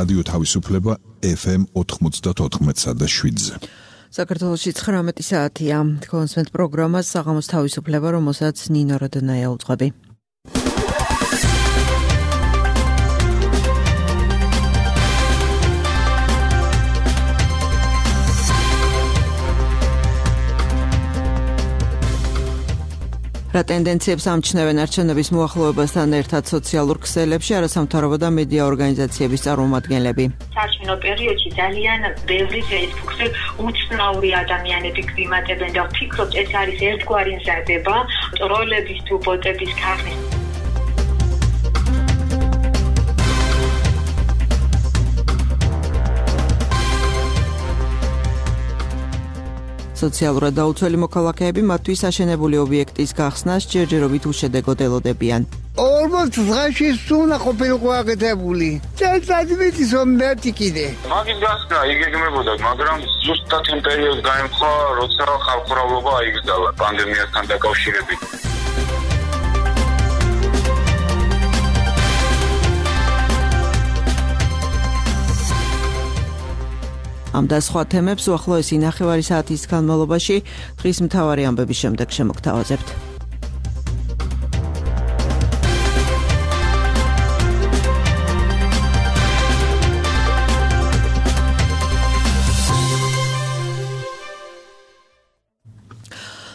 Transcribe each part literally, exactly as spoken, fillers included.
რადიო თავისუფლება ეფ ემ ოთხმოცდაოთხ და შვიდზე. საქართველოში ცხრამეტი საათია. კონსვენტ პროგრამას საღამოს თავისუფლება, რომელსაც ნინო როდონაია უძღვები. რა ტენდენციებს ამჩნევენ არჩევნების მოახლოებასთან ერთად სოციალურ ქსელებში არასამთავრობო და მედია ორგანიზაციების წარმომადგენლები. საარჩევნო პერიოდში ძალიან ბევრი ფეისბუქზე უცნაური ადამიანები გვიმატებენ და ვფიქრობთ, ეს არის ერთგვარი მზადება ტროლების თუ ბოტების ქარხნის. სოციალურად დაუცველი მოქალაქეები მათთვის აშენებული ობიექტის გახსნას ჯერჯერობით უშედეგოდ ელოდებიან. ორმოც დღეში სუნა ყოფილიყო აკეთებული. წელიწადით რომ მერტი კიდე. მაგის გასნა იგეგმებოდა, მაგრამ ზუსტად იმ პერიოდს გაემხვა, როცა ხალხმრავლობა აიგზალა პანდემიასთან დაკავშირებით. ამ და სხვა თემებს უახლოესი ნახევარი საათის განმავლობაში დღის მთავარი ამბების შემდეგ შემოგთავაზებთ.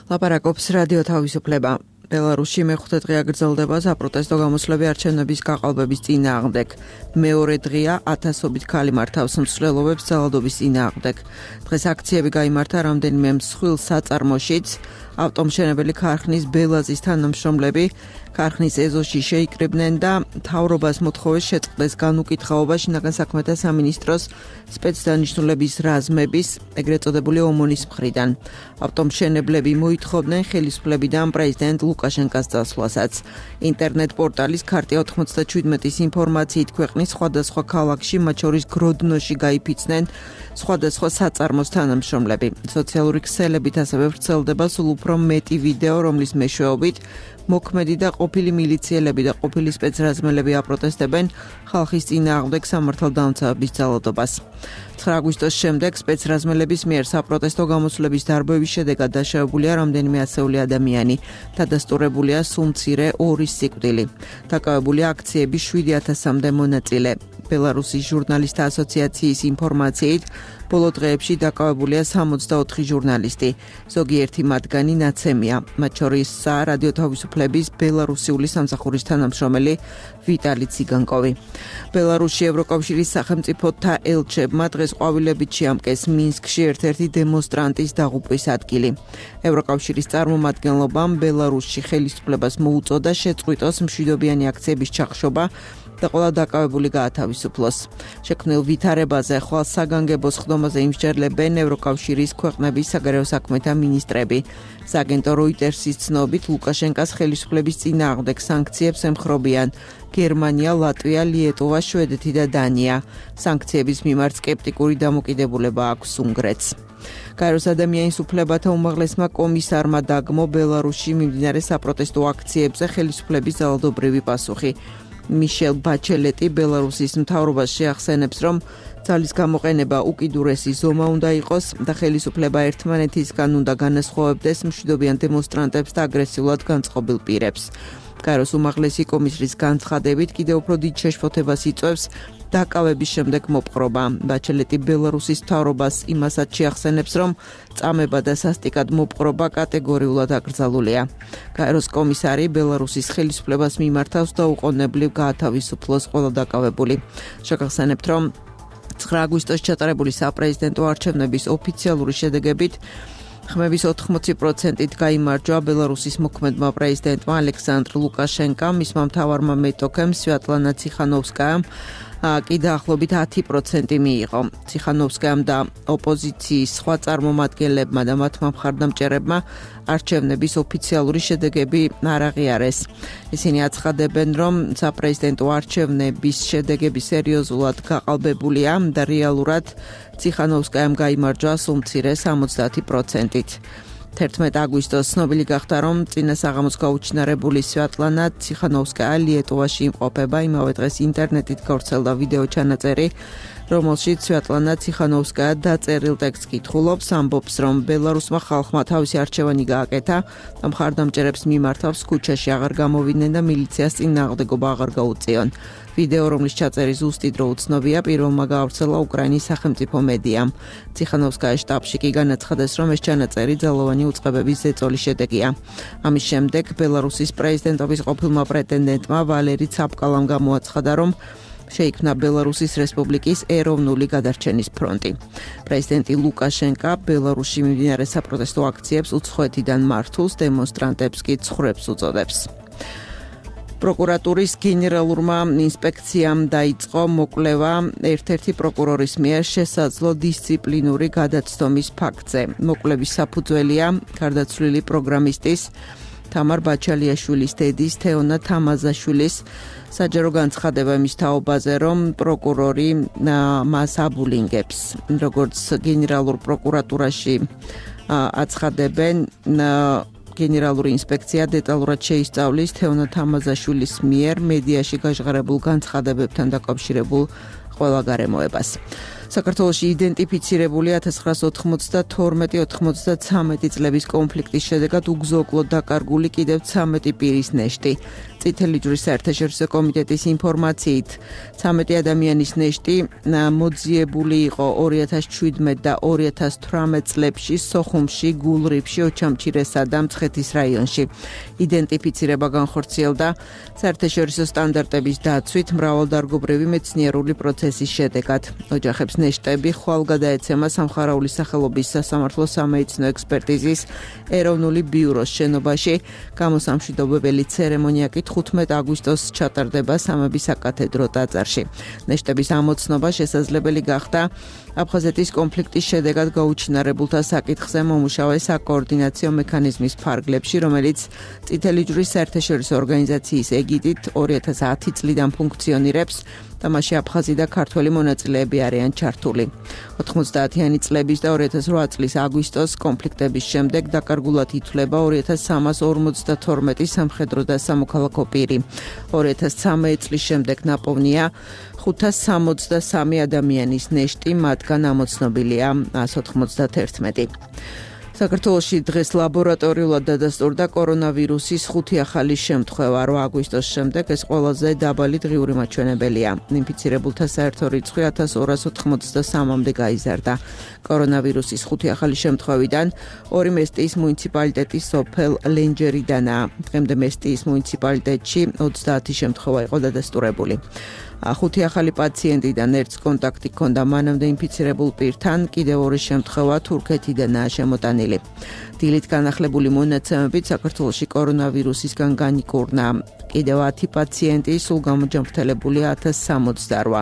ლაპარაკობს რადიო თავისუფლება. ბელარუსში მეხუთე დღე აგრძელდება საპროტესტო გამოსვლები არჩევნების გაყალბების წინააღმდეგ. მეორე დღეა ათასობით ქალი მართავს მსვლელობებს ძალადობის წინააღმდეგ. დღეს აქციები გაიმართა რამდენიმე მსხვილ საწარმოშიც. ავტომშენებელი ქარხნის ბელაზის თანამშრომლები ქარხნის ეზოში შეიკრიბნენ და მთავრობას მოთხოვეს შეწყდეს განუკითხაობა შინაგან საქმეთა სამინისტროს სპეცდანიშნულების რაზმების, ეგრეთ წოდებული ომონის მხრიდან. ავტომშენებლები მოითხოვდნენ ხელისუფლებიდან პრეზიდენტ ლუკაშენკას წასვლასაც. ინტერნეტ პორტალის ქარტია ოთხმოცდაჩვიდმეტის ინფორმაციით ქვეყნის სხვადასხვა ქალაქში, მათ შორის გროდნოში გაიფიცნენ სხვადასხვა საწარმოს თანამშრომლები. სოციალური ქსელებით ასევე ვრცელდება სულ უფრო მეტი ვიდეო, რომლის მეშვეობით მოქმედი და ყოფილი მილიციელები და ყოფილი სპეცრაზმელები აპროტესტებენ ხალხის წინააღმდეგ სამართალდამცავების ძალადობას. ცხრა აგვისტოს შემდეგ სპეცრაზმელების მიერ საპროტესტო გამოსვლების დარბევის შედეგად დაშავებულია რამდენიმე ასეული ადამიანი. დადასტურებულია სულ მცირე ორი სიკვდილი. დაკავებულია აქციების შვიდი ათასამდე მონაწილე. ბელარუსის ჟურნალისტთა ასოციაციის ინფორმაციით ბოლო დღეებში დაკავებულია სამოცდაოთხი ჟურნალისტი. ზოგიერთი მათგანი ნაცემია, მათ შორისაა რადიო თავისუფლების ბელარუსიული სამსახურის თანამშრომელი ვიტალი ციგანკოვი. ბელარუსში ევროკავშირის სახელმწიფოთა ელჩებმა დღეს ყვავილებით შეამკეს მინსკში ერთ-ერთი დემონსტრანტის დაღუპვის ადგილი. ევროკავშირის წარმომადგენლობამ ბელარუსში ხელისუფლებას მოუწოდა შეწყვიტოს მშვიდობიანი აქციების ჩახშობა და ყველა დაკავებული გაათავისუფლოს. შექმნილ ვითარებაზე ხვალ საგანგებო სხდომაზე იმსჯერლებენ ევროკავშირის ქვეყნების საგარეო საქმეთა მინისტრები. სააგენტო როიტერსის ცნობით ლუკაშენკას ხელისუფლების წინააღმდეგ სანქციებს ემხრობიან გერმანია, ლატვია, ლიეტუვა, შვედეთი და დანია. სანქციების მიმართ სკეპტიკური დამოკიდებულება აქვს უნგრეთს. გაეროს ადამიანის უფლებათა უმაღლესმა კომისარმა დაგმო ბელარუსში მიმდინარე საპროტესტო აქციებზე ხელისუფლების ძალადობრივი პასუხი. მიშელ ბაჩელეტი ბელარუსის მთავრობას შეახსენებს, რომ ძალის გამოყენება უკიდურესი ზომა უნდა იყოს და ხელისუფლება ერთმანეთისგან უნდა განასხვავებდეს მშვიდობიან დემონსტრანტებს და აგრესიულად განწყობილ პირებს. გაეროს უმაღლესი კომისრის განცხადებით კიდევ უფრო დიდ შეშფოთებას იწვევს დაკავების შემდეგ მოპყრობა. ბაჩელეტი ბელარუსის მთავრობას იმასაც შეახსენებს, რომ წამება და სასტიკად მოპყრობა კატეგორიულად აკრძალულია. გაეროს კომისარი ბელარუსის ხელისუფლებას მიმართავს და უყოვნებლივ გაათავისუფლოს ყველა დაკავებული. შეგახსენებთ, რომ ცხრა აგვისტოს ჩატარებული საპრეზიდენტო არჩევნების ოფიციალური შედეგებით ხმების ოთხმოცი პროცენტით გაიმარჯვა ბელარუსის მოქმედმა პრეზიდენტმა ალექსანდრ ლუკაშენკამ, მისმა მთავარმა მეტოქემ სვიატლანა ციხანოვსკაიამ კი დაახლოებით ათი პროცენტი მიიღო. ციხანოვსკაიამ და ოპოზიციის სხვა წარმომადგენლებმა და მათმა მხარდამჭერებმა არჩევნების ოფიციალური შედეგები არ აღიარეს. ისინი აცხადებენ, რომ საპრეზიდენტო არჩევნების შედეგები სერიოზულად გაყალბებულია და რეალურად ციხანოვსკაიამ გაიმარჯვა სულ მცირე სამოცდაათი პროცენტით. თერთმეტ აგვისტოს ცნობილი გახდა, რომ წინა საღამოს გაუჩინარებული სვიატლანა ციხანოვსკაია ლიეტუვაში იმყოფება. იმავე დღეს ინტერნეტით გავრცელდა ვიდეო ჩანაწერი, რომელშიც სვიატლანა ციხანოვსკაია დაწერილ ტექსტს კითხულობს, ამბობს, რომ ბელარუსმა ხალხმა თავისი არჩევანი გააკეთა და მხარდამჭერებს მიმართავს ქუჩაში აღარ გამოვიდნენ და მილიციას წინააღმდეგობა აღარ გაუწიონ. ვიდეო, რომლის ჩაწერის ზუსტი დრო უცნობია, პირველმა გაავრცელა უკრაინის სახელმწიფო მედიამ. ციხანოვსკაიის შტაბში კი განაცხადეს, რომ ეს ჩანაწერი ძალოვანი უწყებების ზეწოლის შედეგია. ამის შემდეგ ბელარუსის პრეზიდენტობის ყოფილმა პრეტენდენტმა ვალერი ცაპკალამ გამოაცხადა, რომ შეიქმნა ბელარუსის რესპუბლიკის ეროვნული გადარჩენის ფრონტი. პრეზიდენტი ლუკაშენკა ბელარუსში მიმდინარე საპროტესტო აქციებს უცხოეთიდან მართულს, დემონსტრანტებს კი ცხრებს უწოდებს. პროკურატურის გენერალურმა ინსპექციამ დაიწყო მოკვლევა ერთ-ერთი პროკურორის მიერ შესაძლო დისციპლინური გადაცდომის ფაქტზე. მოკვლევის საფუძველია გარდაცვლილი პროგრამისტის თამარ ბაჩალიაშვილის დედის თეონა თამაზაშვილის საჯარო განცხადება მის თაობაზე, რომ პროკურორი მას აბულინგებს. როგორც გენერალურ პროკურატურაში აცხადებენ, გენერალური ინსპექცია დეტალურად შეისწავლის თეონა თამაზაშვილის მიერ მედიაში გაჟღერებულ განცხადებებთან დაკავშირებულ ყველა გარემოებას. საქართველოში იდენტიფიცირებული ათას ცხრაასი ოთხმოცდათორმეტი ოთხმოცდაცამეტი წლების კონფლიქტის შედეგად უგზო-უკლოდ დაკარგული კიდევ ცამეტი პირის ნეშტი. წითელი ჯვრის საერთაშორისო კომიტეტის ინფორმაციით, ცამეტი ადამიანის ნეშტი მოძიებული იყო ორი ათას შვიდმეტ და ორი ათას თვრამეტ წლებში სოხუმში, გულრიფში, ოჩამჩირესა და მცხეთის რაიონში. იდენტიფიცირება განხორციელდა საერთაშორისო სტანდარტების დაცვით მრავალდარგობრივი მეცნიერული პროცესის შედეგად. ოჯახებს ნეშტები ხვალ გადაეცემა სამხარაული სახელობის სასამართლო სამედიცინო ექსპერტიზის ეროვნული ბიუროს შენობაში. გამოსამშვიდობებელი ცერემონია კი თხუთმეტ აგვისტოს ჩატარდება სამების საკათედრო ტაძარში. ნეშტების ამოცნობა შესაძლებელი გახდა აფხაზეთის კონფლიქტის შედეგად გაუჩინარებულთა საკითხზე მომუშავე საკოორდინაციო მექანიზმის ფარგლებში, რომელიც წითელი ჯვრის საერთაშორისო ორგანიზაციის ეგიდით ორი ათას ათი წლიდან ფუნქციონირებს და მასში აფხაზი და ქართველი მონაწილეები არიან ჩართული. ოთხმოცდაათიანი წლების და ორი ათას რვა წლის აგვისტოს კონფლიქტების შემდეგ დაკარგულად ითვლება ორი ათას სამას ორმოცდათორმეტი სამხედრო და სამოქალაქო პირი. ორი ათას ცამეტ წლის შემდეგ ნაპოვნია ხუთას სამოცდასამი ადამიანის ნეშტი, მათგან ამოცნობილია ათას ოცდაათი. საქართველოში დღეს ლაბორატორიულად დადასტურდა კორონავირუსის ხუთი ახალი შემთხვევა. რვა აგვისტოს შემდეგ ეს ყველაზე დაბალი დღიური მაჩვენებელია. ინფიცირებულთა საერთო რიცხვი ათას ორას ოთხმოცდასამამდე გაიზარდა. კორონავირუსის ხუთი ახალი შემთხვევიდან ორი მესტიის მუნიციპალიტეტის სოფელ ლენჯერიდანაა. დღემდე მესტიის მუნიციპალიტეტში ოცდაათი შემთხვევა იყო დადასტურებული. ხუთი ახალი პაციენტიდან ერთს კონტაქტი ჰქონდა მანამდე ინფიცირებულ პირთან, კიდევ ორი შემთხვევა თურქეთიდანაა შემოტანილი. დილით განახლებული მონაცემებით საქართველოში კორონავირუსისგან განიკურნა კიდევ ათი პაციენტი, სულ გამოჯანმრთელებულია ათას სამოცდარვა.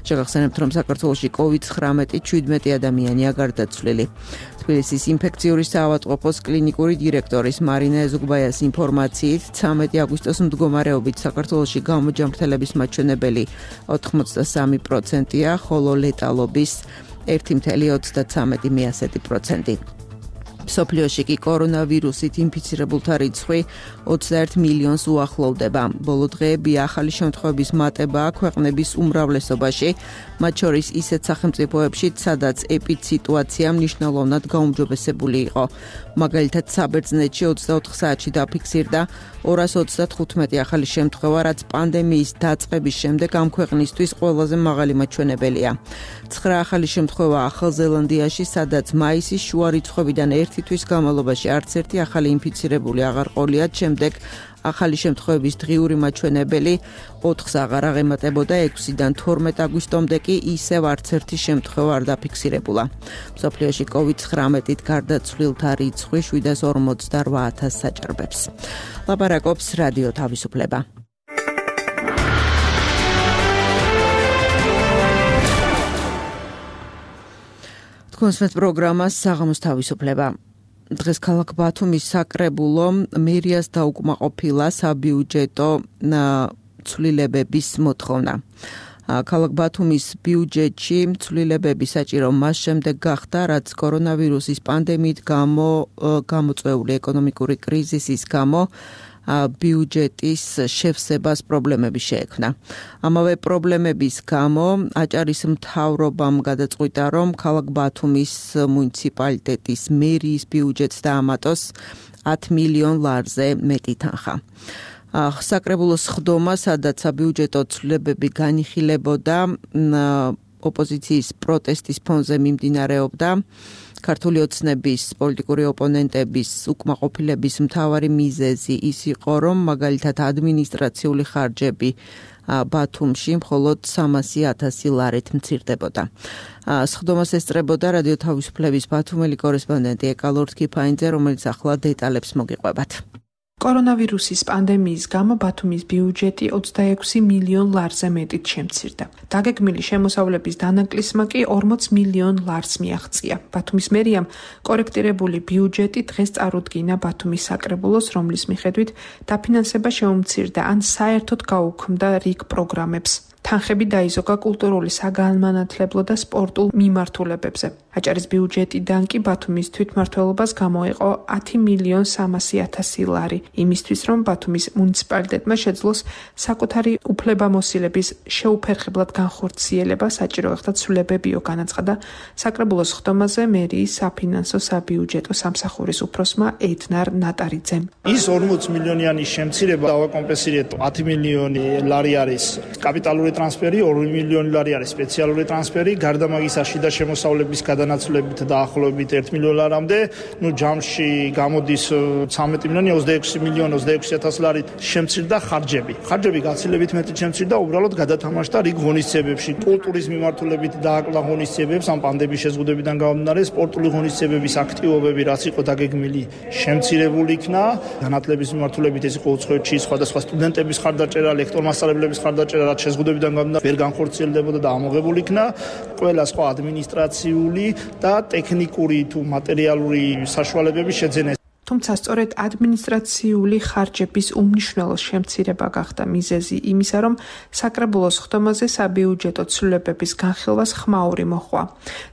შეგახსენებთ, რომ საქართველოში კოვიდ ცხრამეტი შვიდმეტი ადამიანია გარდაცვლილი. თბილისის ინფექციური საავადმყოფოს კლინიკური დირექტორის მარინა ეზუგბაიას ინფორმაციით, ცამეტი აგვისტოს მდგომარეობით საქართველოში გამოჯანმრთელების მაჩვენებელი ოთხმოცდასამი პროცენტია, ხოლო ლეტალობის ერთი წელი ოცდაცამეტი პროცენტი. მსოფლიოში კი კორონავირუსით ინფიცირებულთა რიცხვი ოცდაერთ მილიონს უახლოვდება. ბოლო დღეები ახალი შემთხვევების მატებაა ქვეყნების უმრავლესობაში, მათ შორის ისეთ სახელმწიფოებში, სადაც ეპიდსიტუაცია მნიშვნელოვნად გაუმჯობესებული იყო. მაგალითად, საბერძნეთში ოცდაოთხ საათში დაფიქსირდა ორას ოცდათხუთმეტი ახალი შემთხვევა, რაც პანდემიის დაწყების შემდეგ ამ ქვეყნისთვის ყველაზე მაღალი მაჩვენებელია. ცხრა ახალი შემთხვევა ახალ ზელანდიაში, სადაც მაისის შუა რიცხვებიდან ერთი თვის განმავლობაში არც ერთი ახალი ინფიცირებული აღარ ყოლიათ, შემდეგ ახალი შემთხვევების დღიური მაჩვენებელი ოთხს აღარ აღემატებოდა, ექვსიდან თორმეტ აგვისტომდე კი ისევ არც ერთი შემთხვევა არ დაფიქსირებულა. მსოფლიოში კოვიდ ცხრამეტით გარდაცვლილთა რიცხვი შვიდას ორმოცდარვა ათასს საჭარბებს. ლაპარაკობს რადიო თავისუფლება. თქვენს პროგრამას საღამოს თავისუფლება. დღეს ქალაქ ბათუმის საკრებულო მერიას დაუკმაყოფილა საბიუჯეტო ცვლილებების მოთხოვნა. ქალაქ ბათუმის ბიუჯეტში ცვლილებები საჭირო მას შემდეგ გახდა, რაც კორონავირუსის პანდემიით გამო გამოწვეული ეკონომიკური კრიზისის გამო ბიუჯეტის შევსებას პრობლემები შეექმნა. ამავე პრობლემების გამო აჭარის მთავრობამ გადაწყვიტა, რომ ქალაქ ბათუმის მუნიციპალიტეტის მერიის ბიუჯეტს დაამატოს ათი მილიონ ლარზე მეტი თანხა. საკრებულოს ხდომა, სადაც საბიუჯეტო ცვლილებები განიხილებოდა, ოპოზიციის პროტესტის ფონზე მიმდინარეობდა. ქართული ოცნების პოლიტიკური ოპონენტების უკმაყოფილების მთავარი მიზეზი ის იყო, რომ მაგალითად ადმინისტრაციული ხარჯები ბათუმში მხოლოდ სამასი ათასი ლარით მცირდებოდა. სხდომას ესწრებოდა რადიო თავისუფლების ბათუმელი კორესპონდენტი ეკა ლორთქიფაინძე, რომელიც ახლა დეტალებს მოგიყვებათ. კორონავირუსის პანდემიის გამო ბათუმის ბიუჯეტი ოცდაექვსი მილიონ ლარზე მეტით შემცირდა. დაგეგმილი შემოსავლების დანაკლისმა კი ორმოც მილიონ ლარს მიაღწია. ბათუმის მერიამ კორექტირებული ბიუჯეტი დღეს წარუდგინა ბათუმის საკრებულოს, რომლის მიხედვით დაფინანსება შეუმცირდა ან საერთოდ გაუქმდა რიგ პროგრამებს. თანხები დაიზოგა კულტურული, საგანმანათლებლო და სპორტულ მიმართულებებზე. აჭარის ბიუჯეტიდან კი ბათუმის თვითმმართველობას გამოეყო ათი მილიონ სამასი ათასი ლარი, იმისთვის, რომ ბათუმის მუნიციპალიტეტმა შეძლოს საკუთარი უფლებამოსილების შეუფერხებლად განხორციელება, საჭირო გახდა ცვლილებებიო, განაცხადა საკრებულოს ხდომაზე მერიის საფინანსო საბიუჯეტო სამსახურის უფროსმა ედნარ ნატარიძემ. ის ორმოც მილიონიანი შემცირება დავაკომპენსირეთ ათი მილიონი ლარი არის კაპიტალური ტრანსფერი, ორი მილიონი ლარი არის სპეციალური ტრანსფერი, გარდა მაგისა შიდა შემოსავლების გადანაცვლებით დაახლოებით ერთ მილიონ ლარამდე, ნუ ჯამში გამოდის ცამეტი მილიონი ოცდაექვსი მილიონი ოცდაექვსი ათასი ლარი შემცირდა ხარჯები. ხარჯები გაცილებით მეტი შემცირდა, უბრალოდ გადათამაშდა რიგ ღონისძიებებში, კულტურის მიმართულებით დააკლა ღონისძიებებს ამ პანდემიის შეზღუდებიდან გამომდინარე, სპორტული ღონისძიებების აქტივობები, რაც იყო დაგეგმილი, შემცირებული იქნა. განათლების მიმართულებით ეს იყო უცხოეთში სხვადასხვა სტუდენტების ხარდაჭერა, ლექტორმასწავლებლების ხარდაჭერა, რაც შეზღუდებიდან ვერ განხორციელდებოდა და ამოღებული იქნა. ყველა სხვა ადმინისტრაციული და ტექნიკური თუ მატერიალური საშუალებები შეძენეს. თუმცა სწორედ ადმინისტრაციული ხარჯების უმნიშვნელო შემცირება გახდა მიზეზი იმისა, რომ საკრებულოს ხდომაზე საბიუჯეტო ცვლილებების განხილვას ხმაური მოჰყვა.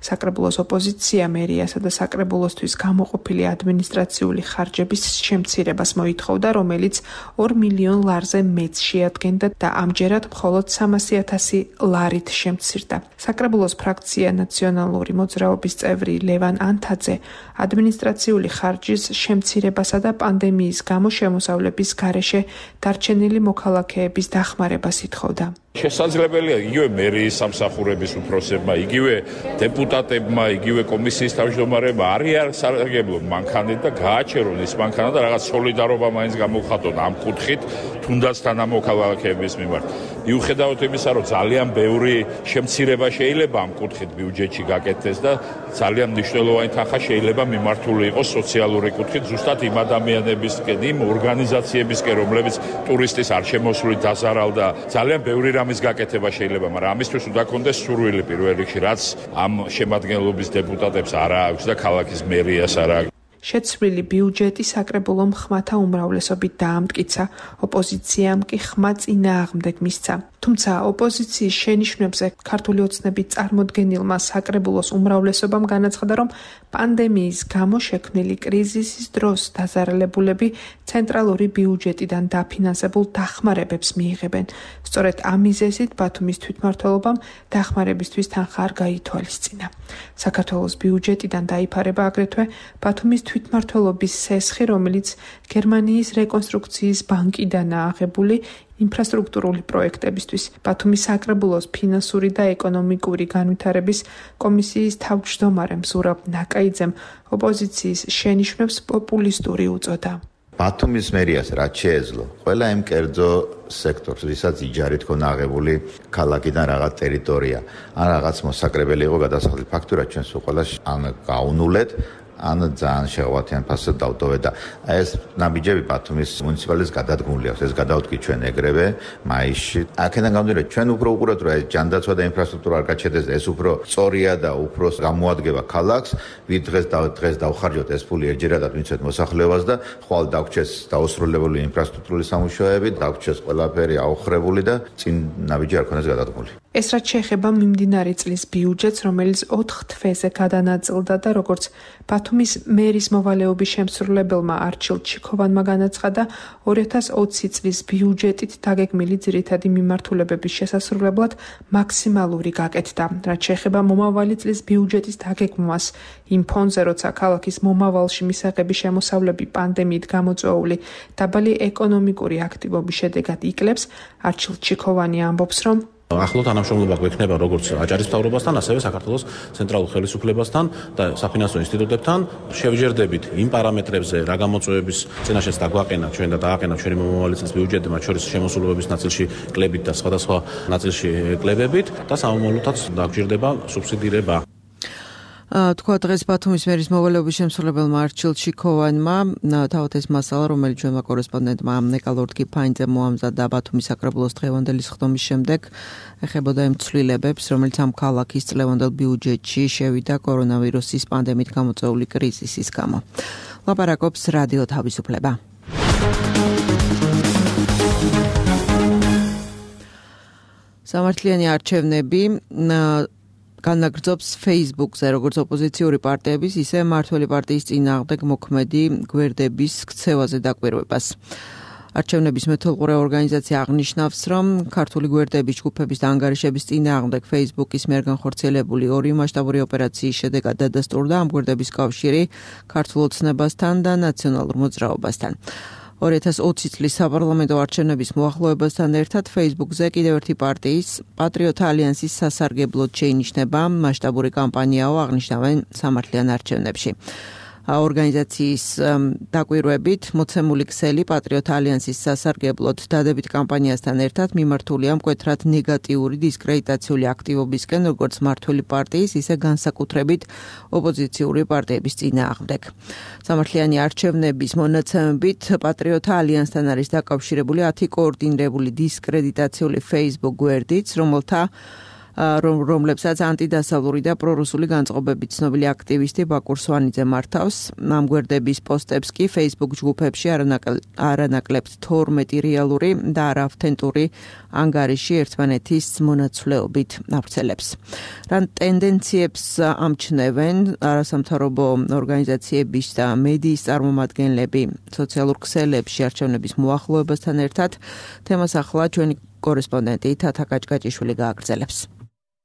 საკრებულოს ოპოზიცია მერიასა და საკრებულოსთვის გამოყოფილი ადმინისტრაციული ხარჯების შემცირებას მოითხოვდა, რომელიც ორ მილიონ ლარზე მეტს შეადგენდა და ამჯერად მხოლოდ სამასი ათასი ლარით შემცირდა. საკრებულოს ფრაქცია ნაციონალური მოძრაობის წევრი ლევან ანთაძე ადმინისტრაციული ხარჯის შემცირებასა და პანდემიის გამო შემოსავლების გარეშე დარჩენილი მოქალაქეების დახმარებას ითხოვდა. შესაძლებელია იგივე მერიის სამსახურების უფროსებმა, იგივე დეპუტატებმა, იგივე კომისიის თავმჯდომარეებმა არის სარგებლო მანქანით და გააჩერონ ის მანქანა და რაღაც სოლიდარობა მაინც გამოვხატონ ამ კუთხით, თუნდაც თანამოქალაქეების მიმართ. მიუხედავად იმისა, რომ ძალიან ბევრი შემცირება შეიძლება ამ კუთხით ბიუჯეტში გაკეთდეს და ძალიან მნიშვნელოვანი თანხა შეიძლება მიმართული იყოს სოციალური კუთხით, ზუსტად იმ ადამიანებისკენ, იმ ორგანიზაციებისკენ, რომლებიც ტურისტის არ შემოსვლით დაზარალდა, ძალიან ბევრი ამის გაკეთება შეიძლება, მაგრამ ამისთვის უნდა კონდეს სურვილი პირველ რიგში, რაც ამ შემადგენლობის დეპუტატებს არ აქვს და ქალაქის მერიას არ აქვს. შეცვლილი ბიუჯეტი საკრებულომ ხმათა უმრავლესობით დაამტკიცა, ოპოზიციამ კი ხმა წინააღმდეგ მისცა. თუმცა ოპოზიციის შენიშვნებზე ქართული ოცნების წარმოდგენილმა საკრებულოს უმრავლესობამ განაცხადა, რომ პანდემიის გამო შექმნილი კრიზისის დროს დაზარალებულები ცენტრალური ბიუჯეტიდან დაფინანსებულ დახმარებებს მიიღებენ. სწორედ ამ მიზეზით ბათუმის თვითმმართველობამ დახმარებისთვის თანხა არ გაითვალისწინა. საქართველოს ბიუჯეტიდან დაიფარება აგრეთვე ბათუმის თვითმმართველობის სესხი, რომელიც გერმანიის რეკონსტრუქციის ბანკიდანაა აღებული ინფრასტრუქტურული პროექტებისთვის. ბათუმის საკრებულოს ფინანსური და ეკონომიკური განვითარების კომისიის თავმჯდომარემ ზურაბ ნაკაიძემ ოპოზიციის შენიშვნებს პოპულისტური უწოდა. ბათუმის მერიას რაც შეეძლო, ყველა იმ კერძო სექტორს, ვისაც იჯარით ქონა აღებული ქალაქიდან რაღაც ტერიტორია, ან რაღაც მოსაკრებელი იყო გადასახადული ფაქტურა ჩვენს უყოლას ან გაუნულეთ, ან ძალიან შეღვათიან ფასად დავტოვეთ და ეს ნაბიჯები ბათუმის მუნიციპალიტეტს გადადგმული აქვს. ეს გადავდგი ჩვენ ეგრევე მაისში. აქედან გამომდინარე, ჩვენ უფრო უყურებთ, რომ ეს ჯანდაცვა და ინფრასტრუქტურა არ გაჩერდეს, ეს უფრო სწორია და უფრო გამოადგება ქალაქს. ვით დღეს და დღეს დავხარჯოთ ეს ფული ერთჯერადად მიცეთ მოსახლეობას და ხვალ დაგვრჩეს დაუსრულებელი ინფრასტრუქტურული სამუშაოები, დაგვრჩეს ყველაფერი აუხრებული და წინ ნაბიჯი არ ქონდეს გადადგმული. ეს რაც შეეხება მიმდინარე წლის ბიუჯეტს, რომელიც ოთხ თვეზე გადანაწილდა და როგორც ბათუმის მერის მოვალეობის შემსრულებელმა არჩილ ჩიქოვანმა განაცხადა, ორი ათას ოცი წლის ბიუჯეტით დაგეგმილი ძირითადი მიმართულებების შესასრულებლად მაქსიმალური გაკეთდა. რაც შეეხება მომავალი წლის ბიუჯეტის დაგეგმვას, იმ ფონზე, როცა ქალაქის მომავალში მისაღები შემოსავლები პანდემიით გამოწვეული დაბალი ეკონომიკური აქტივობის შედეგად იკლებს, არჩილ ჩიქოვანი ამბობს, რომ ახლო თანამშრომლობა გვექნება როგორც აჭარის მთავრობასთან, ასევე საქართველოს ცენტრალურ ხელისუფლებასთან და საფინანსო ინსტიტუტებთან. შევჯერდებით იმ პარამეტრებზე, რა გამოწვევების წინაშეც დაგვაყენა ჩვენ და დააყენა ჩვენი მომავალი წლის ბიუჯეტი, მათ შორის შემოსულობების ნაწილში კლებით და სხვადასხვა ნაწილში კლებებით და სამომავლოდაც დაგვჭირდება სუბსიდირება. თქვა დღეს ბათუმის მერის მოვალეობის შემსრულებელმა არჩილ ჩიქოვანმა თავად ეს მასალა, რომელიც ჩვენმა კორესპონდენტმა ნეკა ლორდ-კიფაინძემ მოამზადა ბათუმის საკრებულოს დღევანდელი სხდომის შემდეგ, ეხებოდა იმ ცვლილებებს, რომელიც ამ ქალაქის წლევანდელ ბიუჯეტში შევიდა კორონავირუსის პანდემიით გამოწვეული კრიზისის გამო. ლაპარაკობს რადიო თავისუფლება. სამართლიანი არჩევნები განაგრძობს Facebook-ზე, როგორც ოპოზიციური პარტიების, ისე მმართველი პარტიის წინააღმდეგ მოქმედი გვერდების ქცევაზე დაკვირვებას. არჩევნების მეთვალყურე ორგანიზაცია აღნიშნავს, რომ ქართული გვერდების ჯგუფების და ანგარიშების წინააღმდეგ Facebook-ის მიერ განხორციელებული ორი მასშტაბური ოპერაციის შედეგად დადასტურდა ამ გვერდების კავშირი ქართულ ოცნებასთან და ნაციონალურ მოძრაობასთან. ორი ათას ოცი წლის საპარლამენტო არჩევნების მოახლოებასთან ერთად Facebook-ზე კიდევ ერთი პარტიის პატრიოტთა ალიანსის სასარგებლოდ შეინიშნება მასშტაბური კამპანიაო, აღნიშნავენ სამართლიან არჩევნებში. ორგანიზაციის დაკვირვებით მოცემული ქსელი პატრიოტთა ალიანსის სასარგებლოდ დადებით კამპანიასთან ერთად მიმართულია მკვეთრად ნეგატიური დისკრედიტაციული აქტივობისკენ, როგორც მმართველი პარტიის, ისე განსაკუთრებით ოპოზიციური პარტიების წინააღმდეგ. სამართლიანი არჩევნების მონაცემებით პატრიოტთა ალიანსთან არის დაკავშირებული ათი კოორდინირებული დისკრედიტაციული Facebook გვერდიც, რომელთა რომლებსაც ანტიდასავლური და პრორუსული განწყობებით ცნობილი აქტივისტი ბაკურ სვანიძე მართავს. ამ გვერდების პოსტებს კი Facebook ჯგუფებში არანაკლებთ თორმეტი რეალური და არაავთენტური ანგარიში ერთმანეთის მონაცვლეობით ავრცელებს. რა ტენდენციებს ამჩნევენ არასამთავრობო ორგანიზაციების და მედიის წარმომადგენლები სოციალურ ქსელებში არჩევნების მოახლოებასთან ერთად, თემას ახლა ჩვენი კორესპონდენტი თათა კაჭკაჭიშვილი გააგრძელებს.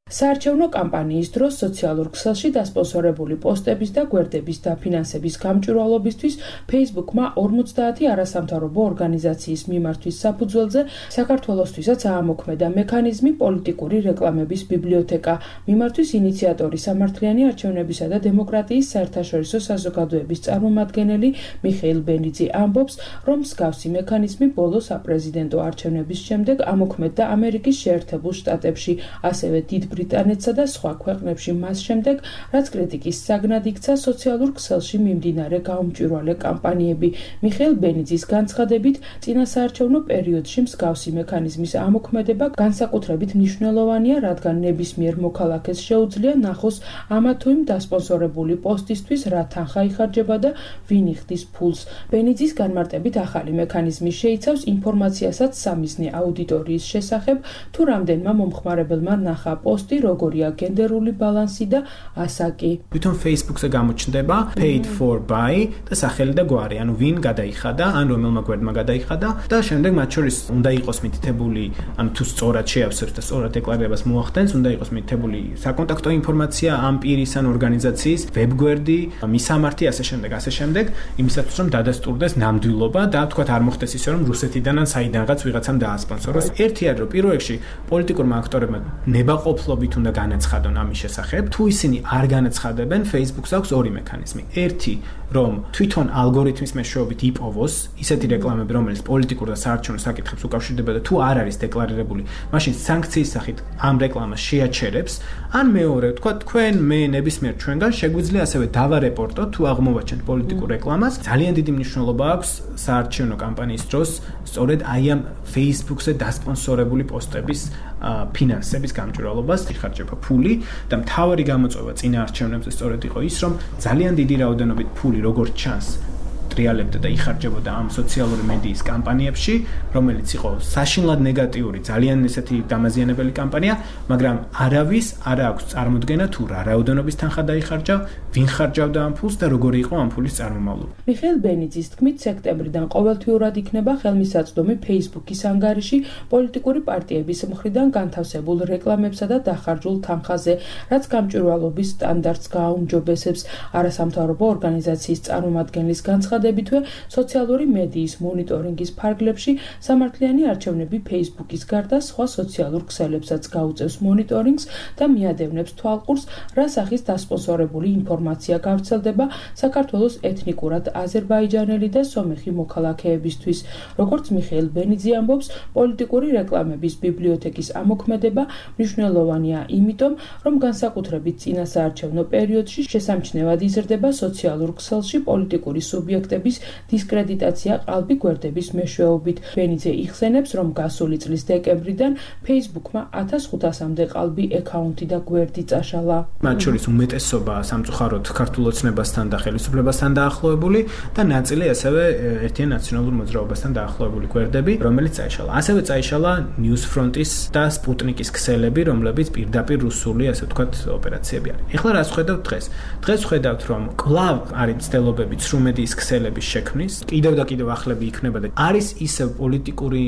საარჩევნო კამპანიის დროს სოციალურ ქსელში დასპონსორებული პოსტების და გვერდების დაფინანსების გამჭვირვალობისთვის Facebook-მა ორმოცდაათი არასამთავრობო ორგანიზაციის მიმართვის საფუძველზე საქართველოსთვისაც აამოქმედა მექანიზმი პოლიტიკური რეკლამების ბიბლიოთეკა. მიმართვის ინიციატორი სამართლიანი არჩევნებისა და დემოკრატიის საერთაშორისო საზოგადოების წარმომადგენელი მიხეილ ბენიძე ამბობს, რომ მსგავსი მექანიზმი ბოლო საპრეზიდენტო არჩევნების შემდეგ ამოქმედდა ამერიკის შეერთებულ შტატებში, ასევე დიდ ბრიტანეთსა და სხვა ქვეყნებში მას შემდეგ, რაც კრიტიკის საგნად იქცა სოციალურ ქსელში მიმდინარე გაუმჭვირვალე კამპანიები. მიხეილ ბენიძის განცხადებით, წინასაარჩევნო პერიოდში მსგავსი მექანიზმის ამოქმედება განსაკუთრებით მნიშვნელოვანია, რადგან ნებისმიერ მოქალაქეს შეუძლია ნახოს ამა თუ იმ დასპონსორებული პოსტისთვის რა თანხა იხარჯება და ვინ იხდის ფულს. ბენიძის განმარტებით, ახალი მექანიზმი შეიცავს ინფორმაციასაც სამიზნე აუდიტორიის შესახებ, თუ რამდენმა მომხმარებელმა ნახა პოსტი, როგორია გენდერული ბალანსი და ასაკი. თვითონ Facebook-ზე გამოჩნდება paid for by და სახელი და გვარი, ანუ ვინ გადაიხადა, ან რომელმა გვერდმა გადაიხადა და შემდეგ მათ შორის უნდა იყოს მითითებული, ანუ თუ სწორად შეავსებს და სწორად დეკლარებას მოახდენს, უნდა იყოს მითითებული საკონტაქტო ინფორმაცია ამ პირის ან ორგანიზაციის, ვებგვერდი, მისამართი, ასე შემდეგ, ასე შემდეგ, იმისათვის რომ დადასტურდეს ნამდვილობა და თქვათ არ მოხდეს ისე რომ რუსეთიდან ან საიდანღაც ვიღაცამ დაასპონსოროს. ერთი არის რომ პირველ რიგში პოლიტიკურმა აქტორებმა ნებაყოფლობით უნდა განაცხადონ ამის შესახებ. თუ ისინი არ განაცხადებენ, Facebook-ს აქვს ორი მექანიზმი. ერთი, რომ თვითონ ალგორითმის მეშვეობით იპოვოს ისეთი რეკლამები, რომელიც პოლიტიკურ და საარჩევნო საკითხებს უკავშირდება და თუ არ არის დეკლარირებული, მაშინ სანქციის სახით ამ რეკლამას შეაჩერებს. ან მეორე, თქვა თქვენ მე ნებისმიერ ჩვენგან შეგვიძლია ასევე დავარეპორტოთ თუ აღმოვაჩენთ პოლიტიკურ რეკლამას. ძალიან დიდი მნიშვნელობა აქვს საარჩევნო კამპანიის დროს სწორედ აი ამ Facebook-ზე დასპონსორებული პოსტების ფინანსების გამჭვირვალობას იხარჯება ფული და მთავარი გამოწვევა წინა არჩევნებზე სწორედ იყო ის, რომ ძალიან დიდი რაოდენობით ფული როგორც ჩანს ტრიალებდა და იხარჯებოდა ამ სოციალური მედიის კამპანიებში, რომელიც იყო საშინლად ნეგატიური, ძალიან ესეთი დამაზიანებელი კამპანია, მაგრამ არავის არ აქვს წარმოდგენა თუ რა რაოდენობის თანხა დაიხარჯა, ვინ ხარჯავდა ამ ფულს და როგორი იყო ამ ფულის წარმომავლობა. მიხეილ ბენიძის თქმით, სექტემბრიდან ყოველთვიურად იქნება ხელმისაწვდომი Facebook-ის ანგარიში პოლიტიკური პარტიების მხრიდან განთავსებულ რეკლამებსა და დახარჯულ თანხაზე, რაც გამჭვირვალობის სტანდარტს გააუმჯობესებს. არასამთავრობო ორგანიზაციის წარმომადგენლის განცხადებითვე, სოციალური მედიის მონიტორინგის ფარგლებში სამართლიანი არჩევნები Facebook-ის გარდა სხვა სოციალურ ქსელებსაც გაუწევს მონიტორინგს და მიადევნებს თვალყურს, რა სახის დასპონსორებული ინფორმაცია გავრცელდება საქართველოს ეთნიკურად აზერბაიჯანელი და სომეხი მოქალაქეებისთვის. როგორც მიხეილ ბენიძე ამბობს, პოლიტიკური რეკლამების ბიბლიოთეკის ამოქმედება მნიშვნელოვანია იმიტომ, რომ განსაკუთრებით წინასაარჩევნო პერიოდში შესამჩნევად იზრდება სოციალურ ქსელში პოლიტიკური სუბიექტების დისკრედიტაცია ყალბი გვერდების მეშვეობით. ბენიძე იხსენებს, რომ გასული წლის დეკემბრიდან Facebook-მა ათას ხუთასამდე ყალბი აკაუნთი და გვერდი წაშალა. მათ შორის უმეტესობა სამწუხაროდ ქართულ ოცნებასთან და ხელისუფლებასთან დაახლოებული და ნაწილი ასევე ერთიან ნაციონალურ მოძრაობასთან დაახლოებული გვერდები, რომელიც წაიშალა. ასევე წაიშალა News Front-ის და Sputnik-ის ქსელები, რომლებიც პირდაპირ რუსული, ასე ვთქვათ, ოპერაციები არის. ეხლა რას ხედავთ დღეს? დღეს ხედავთ, რომ კვლავ არის მცდელობები ცრუმედიის ქსელების შექმნის, კიდევ და კიდევ ახლები იქნება და არის ისევ პოლიტიკური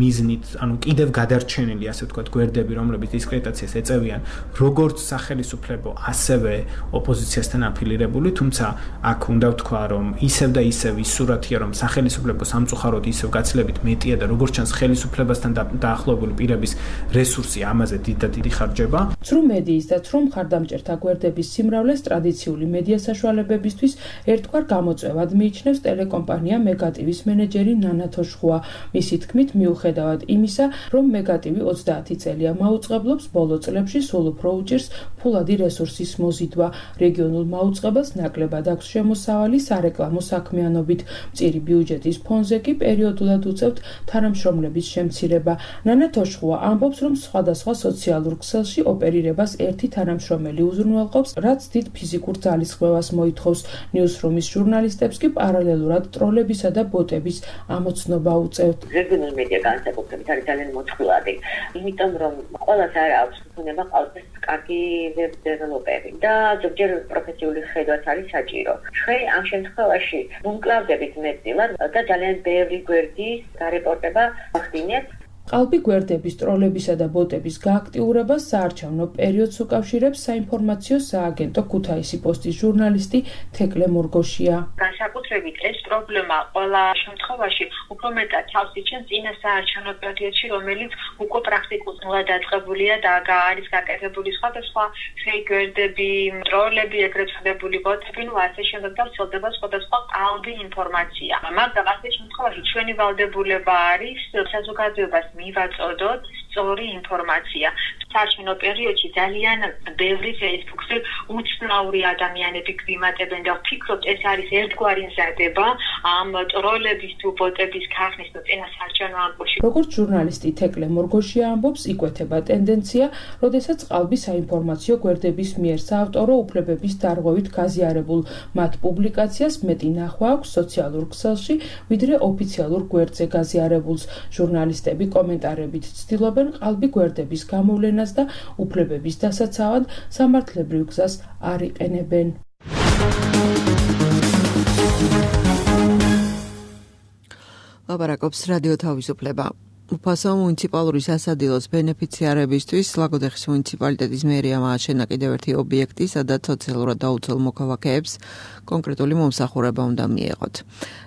მიზნით, ანუ კიდევ გადარჩენილი, ასე ვთქვათ, გვერდები, რომლებიც დისკრედიტაციას ეწევიან, როგორც სახელისუფლებო, ასევე ოპოზიციასთან აფილირებული, თუმცა აქ უნდა ვთქვა, რომ ისევ და ისევ ის სურათია, რომ სახელისუფლებო სამწუხაროდ ისევ გაცილებით მეტია და როგორც ჩანს ხელისუფლებასთან დაახლოებული პირების რესურსი ამაზე დიდ და დიდი ხარჯება. ცრუმედიის და ცრუმ ხარდამჭერთა გვერდების სიმრავლეს ტრადიციული მედია საშუალებებისთვის ერთგვარ გამოწვევად მიიჩნევს ტელეკომპანია მეგატივის მენეჯერი ნანა თოშხუა. მისი თქმით, მიუხედავად იმისა, რომ მეგატივი ოცდაათი წელია მაუწყებლობს, ბოლო წლებში სულ უფრო უჭირს ფულადი რესურსის მოზიდვა. რეგიონულ მაუწყებელს ნაკლებად აქვს შემოსავალი სარეკლამო საქმიანობით. მწირი ბიუჯეტის ფონზე კი პერიოდულად უწევთ თანამშრომლების შემცირება. ნანა თოშხუა ამბობს, რომ სხვადასხვა სოციალურ ქსელში ოპერირებას ერთი თანამშრომელი უზრუნველყოფს, რაც დიდ ფიზიკურ ძალისხმევას მოითხოვს. Newsroom-ის ჟურნალისტებს კი პარალელურად ტროლებისა და ბოტების ამოცნობა უწევთ. რეგიონულ მედია განსაკუთრებით არის ძალიან მოწყვლადი, იმიტომ რომ ყველას არ აქვს უნება ყალბის კარგი ვებ-დეველოპერი და ზოგჯერ პროფესიული ხედვაც არის საჭირო. ჩვენ ამ შემთხვევაში ვუმკლავდებით მეტწილად და ძალიან ბევრი გვერდის გარეპორტება ახდინეთ. ყალბი გვერდების ტროლებისა და ბოტების გააქტიურებას საარჩევნო პერიოდს უკავშირებს საინფორმაციო სააგენტო ქუთაისი პოსტის ჟურნალისტი თეკლე მორგოშია. განსაკუთრებით ეს პრობლემა ყველა შემთხვევაში უფრო მეტად თავს იჩენს წინა საარჩევნო პერიოდში, რომელიც უკვე პრაქტიკულად დაწყებულია და არის გაკეთებული სხვადასხვა fake გვერდები, ტროლები, ეგრეთ წოდებული ბოტები, ну ასე შემდეგ და ვცელდება სხვადასხვა ყალბი ინფორმაცია. მაგრამ ასე შემთხვევაში ჩვენი ვალდებულება არის საზოგადოებას მივაწოდოთ სწორი ინფორმაცია. საარჩევნო პერიოდში ძალიან ბევრი Facebook-ზე უცნაური ადამიანები გვიმატებენ და ვფიქრობთ, ეს არის ერთგვარი მზადება ამ ტროლების თუ ბოტების ქარხნის თუ წინა საარჩევნო ამბოში. როგორც ჟურნალისტი თეკლე მორგოშია ამბობს, იკვეთება ტენდენცია, როდესაც ყალბი საინფორმაციო გვერდების მიერ საავტორო უფლებების დარღვევით გაზიარებულ მათ პუბლიკაციას მეტი ნახვა აქვს სოციალურ ქსელში, ვიდრე ოფიციალურ გვერდზე გაზიარებულს. ჟურნალისტები კომენტარებით ცდილობენ ყალბი გვერდების გამოვლენას და უფლებების დასაცავად სამართლებრივ გზას არ იყენებენ. ლაპარაკობს რადიო თავისუფლება. უფასო მუნიციპალური სასადილოს ბენეფიციარებისთვის ლაგოდეხის მუნიციპალიტეტის მერია ააშენა კიდევ ერთი ობიექტი, სადაც სოციალურად დაუცველ მოქალაქეებს კონკრეტული მომსახურება უნდა მიეღოთ.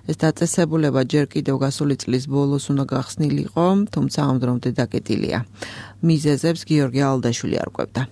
ეს დაწესებულება ჯერ კიდევ გასული წლის ბოლოს უნდა გახსნილიყო, თუმცა ამ დრომდე დაკეტილია. მიზეზებს გიორგი ალდაშვილი არკვევდა.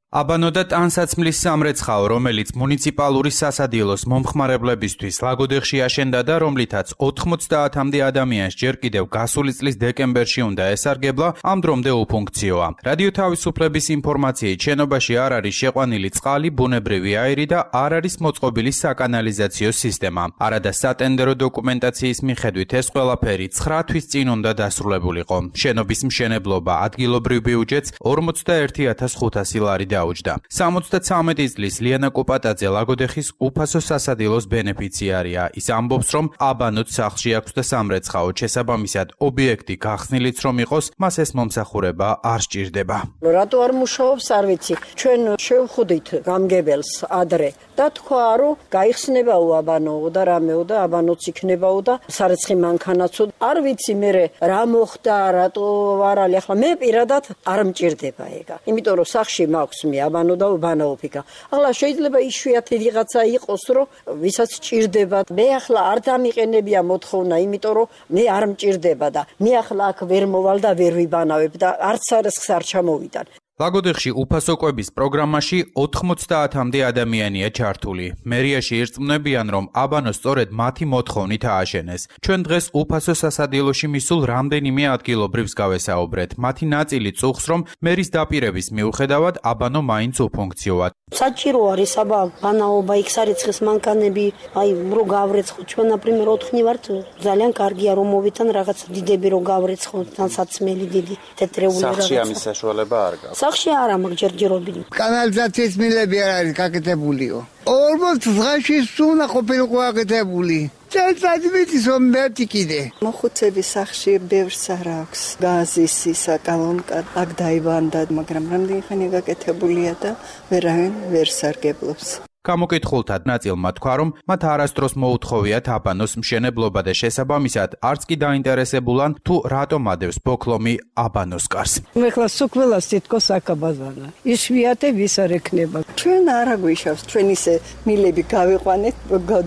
აბანო და ტანსაცმლის სამრეცხაო, რომელიც მუნიციპალური სასადილოს მომხმარებლებისთვის ლაგოდეხში აშენდა და რომლითაც ოთხმოცდაათამდე ადამიანს ჯერ კიდევ გასული წლის დეკემბერში უნდა ესარგებლა, ამ დრომდე უფუნქციოა. რადიო თავისუფლების ინფორმაციით, შენობაში არ არის შეყვანილი წყალი, ბუნებრივი აირი და არ არის მოწყობილი საკანალიზაციო სისტემა. არადა სატენდერო დოკუმენტაციის მიხედვით ეს ყველაფერი ცხრა თვის წინ უნდა დასრულებულიყო. შენობის მშენებლობა ადგილობრივ ბიუჯეტს ორმოცდაერთი ათას ხუთასი ლარი დაუჯდა. სამოცდათვრამეტი წლის ლიანა კოპატაძე ლაგოდეხის უფასო სასადილოს ბენეფიციარია. ის ამბობს, რომ აბანოც სახლში აქვს და სამრეცხაო, შესაბამისად ობიექტი გახსნილიც რომ იყოს, მას ეს მომსახურება არ სჭირდება. რატო არ მუშაობს, არ ვიცი. ჩვენ შევხვდით გამგებელს ადრე და თქვა, რომ გაიხსნებაო აბანოო და რამეო და აბანოც იქნებაო და სარეცხი მანქანაცო. არ ვიცი მე რა მოხდა, რატო არ არის. ახლა მე პირადად არ მჭირდება ეგა. იმიტომ რომ სახში მაქვს მე აბანო და უბანაობიკა. ახლა შეიძლება იშვიათი ვიღაცა იყოს, რომ ვისაც სჭირდება. მე ახლა არ დამიყენებია მოთხოვნა, იმიტომ რომ მე არ მჭირდება და მე ახლა აქ ვერ მოვალ და ვერ ვიბანავებ და არც სარეცხს არ ჩამოვიდან. ლაგოდეხში უფასო კვების პროგრამაში ოთხმოცდაათამდე ადამიანია ჩართული. მერიაში ირწმუნებიან, რომ აბანო სწორედ მათი მოთხოვნით ააშენეს. ჩვენ დღეს უფასო სასადილოში მისულ რამდენიმე ადგილობრივს გავესაუბრეთ. მათი ნაწილი წუხს, რომ მერის დაპირების მიუხედავად აბანო მაინც უფუნქციოა. საჭირო არის აბა ბანაობა, იქ სარეცხის მანქანები, აი რო გავრეცხო. ჩვენ ნაპრიმერ ოთხნი ვართ, ძალიან კარგია რომ მოვითან რაღაც დიდები რო გავრეცხო, თან საცმელი დიდი თეთრეული რაღაც. სახში ამის საშუალება არ გაქვს. სახში არა მაქვს ჯერჯერობით. კანალიზაციის მილები არ არის გაკეთებულიო. ორმოც დღეში სუნა ყოფილიყო გაკეთებული. წელიწადის რომ მერტი კიდე. მოხუცების სახში ბევრს არ აქვს. გაზის ისა კალონკა აქ დაიბანდა, მაგრამ რამდენი ხანი გაკეთებულია და ვერავინ ვერ სარგებლობს. გამოკითხულთა ნაწილმა თქვა, რომ მათ არასდროს მოუთხოვიათ აბანოს მშენებლობა და შესაბამისად არც კი დაინტერესებულან თუ რატომ ადევს ბოქლომი აბანოს კარს. მე ხლა სუქველას თითქოს აკაბაზანა. იშვიათე ვის არ ექნება. ჩვენ არ აგვიშავს, ჩვენ ისე მილები გავიყვანეთ,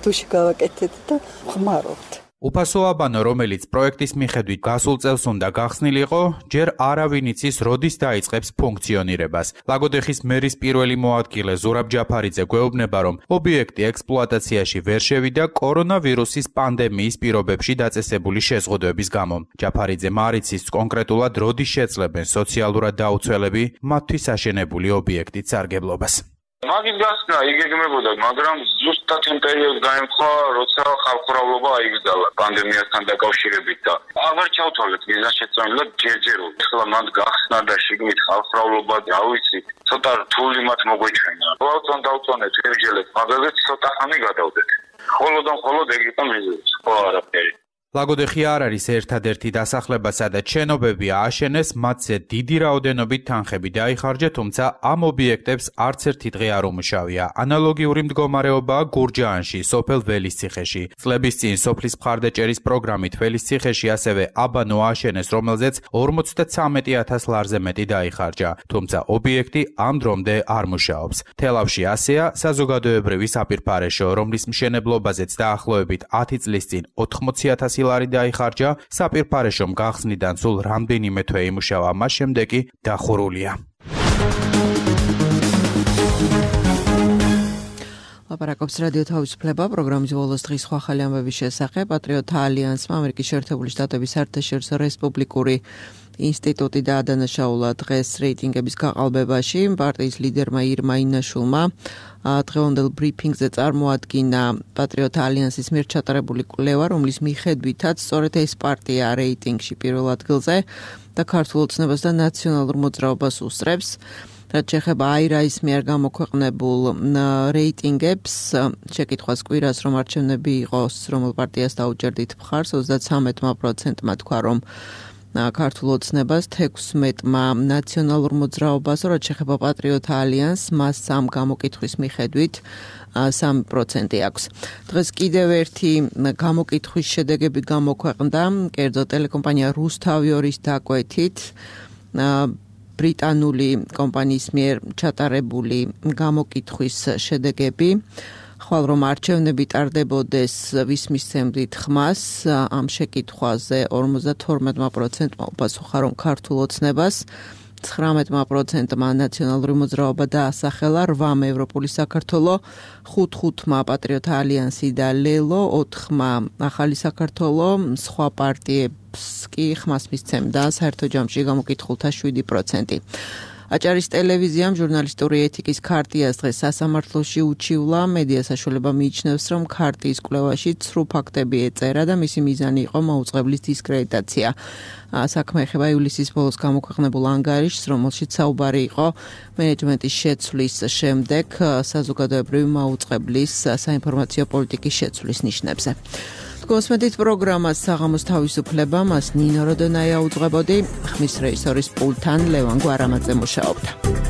დუში გავაკეთეთ და ხმარობთ. უფასო აბანო, რომელიც პროექტის მიხედვით გასულ წელს უნდა გახსნილიყო, ჯერ არავინ იცის, როდის დაიწყებს ფუნქციონირებას. ლაგოდეხის მერის პირველი მოადგილე ზურაბ ჯაფარიძე გვეუბნება, რომ ობიექტი ექსპლუატაციაში ვერ შევიდა კორონავირუსის პანდემიის პირობებში დაწესებული შეზღუდვების გამო. ჯაფარიძე მარიცის კონკრეტულად როდის შეძლებენ სოციალურად დაუცველები მათთვის აშენებული ობიექტით სარგებლობას. მაგის გასნა იგეგმებოდა, მაგრამ ზუსტად იმ პერიოდს გაემხვა, როცა ხალხურავლობა აიგზალა პანდემიასთან დაკავშირებით და აღარ ჩავთვალეთ მიზანშეწონილად ჯერჯერობით. ახლა მათ გახსნა და შიგნით ხალხურავლობა, რა ვიცი, ცოტა რთული მათ მოგვეჩვენა. ყოველთვის დავწონეთ ვერჯელეთ, მაგალითად ცოტა ხანი გადავდეთ. ხოლოდ და ხოლოდ ეგ იყო მიზეზი, ხო არაფერი. ლაგოდეხი არ არის ერთადერთი დასახლება, სადაც შენობები ააშენეს, მათზე დიდი რაოდენობით თანხები დაიხარჯა, თუმცა ამ ობიექტებს არც ერთი დღე არ უმუშავია. ანალოგიური მდგომარეობაა გურჯაანში, სოფელ ველისციხეში. წლების წინ სოფლის მხარდაჭერის პროგრამით ველისციხეში ასევე აბანო ააშენეს, რომელზეც ორმოცდათვრამეტი ათას ლარზე მეტი დაიხარჯა, თუმცა ობიექტი ამ დრომდე არ მუშაობს. თელავში ასეა საზოგადოებრივი საპირფარეშო, რომლის მშენებლობაზეც დაახლოებით ათი წლის წინ ოთხმოცი ათასი ლარი დაიხარჯა, საპირფარეშომ გახსნიდან სულ რამდენიმე თვე იმუშავა, მას შემდეგ კი დახურულია. ლაპარაკობს რადიო თავისუფლება, პროგრამის ბოლოს დღის სხვა ხალი ამბების შესახებ. პატრიოტთა ალიანსმა ამერიკის შეერთებული შტატების საერთაშორისო რესპუბლიკური ინსტიტუტი დაადანაშაულა დღეს რეიტინგების გაყალბებაში. პარტიის ლიდერმა ირმა ინაშულმა დღევანდელ ბრიფინგზე წარმოადგინა პატრიოტთა ალიანსის მიერ ჩატარებული კვლევა, რომლის მიხედვითაც სწორედ ეს პარტია რეიტინგში პირველ ადგილზე და ქართულ ოცნებას და ნაციონალურ მოძრაობას უსწრებს. რაც შეეხება აირაის მიერ გამოქვეყნებულ რეიტინგებს, შეკითხვას კვირას რომ არჩევნები იყოს, რომელ პარტიას დაუჭერდით მხარს, ოცდათრამეტი პროცენტმა თქვა, რომ ქართულ ოცნებას, თექვსმეტმა ნაციონალურ მოძრაობას, რაც შეეხება პატრიოტთა ალიანსს, მას სამ გამოკითხვის მიხედვით სამი პროცენტი აქვს. დღეს კიდევ ერთი გამოკითხვის შედეგები გამოქვეყნდა, კერძო ტელეკომპანია რუსთავიორის დაკვეთით, ბრიტანული კომპანიის მიერ ჩატარებული გამოკითხვის შედეგები, ხვალ რომ არჩევნები ტარდებოდეს ვის მისცემდით ხმას, ამ შეკითხვაზე ორმოცდათორმეტი პროცენტმა უპასუხა, რომ ქართულ ოცნებას, ცხრამეტი პროცენტმა ნაციონალური მოძრაობა დაასახელა, რვამ ევროპული საქართველო, ხუთმა პატრიოტთა ალიანსი და ლელო, ოთხმა ახალი საქართველო, სხვა პარტიებს კი ხმას მისცემდა, საერთო ჯამში გამოკითხულთა შვიდი პროცენტი. აჭარის ტელევიზიამ ჟურნალისტური ეთიკის ქარტიას დღეს სასამართლოში უჩივლა. მედია საშუალება მიიჩნევს, რომ ქარტიის კვლევაში ცრუ ფაქტები ეწერა და მისი მიზანი იყო მაუწყებლის დისკრედიტაცია. საქმე ეხება ივლისის ბოლოს გამოქვეყნებულ ანგარიშს, რომელშიც საუბარი იყო მენეჯმენტის შეცვლის შემდეგ საზოგადოებრივი მაუწყებლის საინფორმაციო პოლიტიკის შეცვლის ნიშნებზე. გოსმედით პროგრამას საღამოს თავისუფლება, მას ნინო როდონაია უძღვებოდი, ხმის რეჟისორის პულტთან ლევან გვარამაძე მუშაობდა.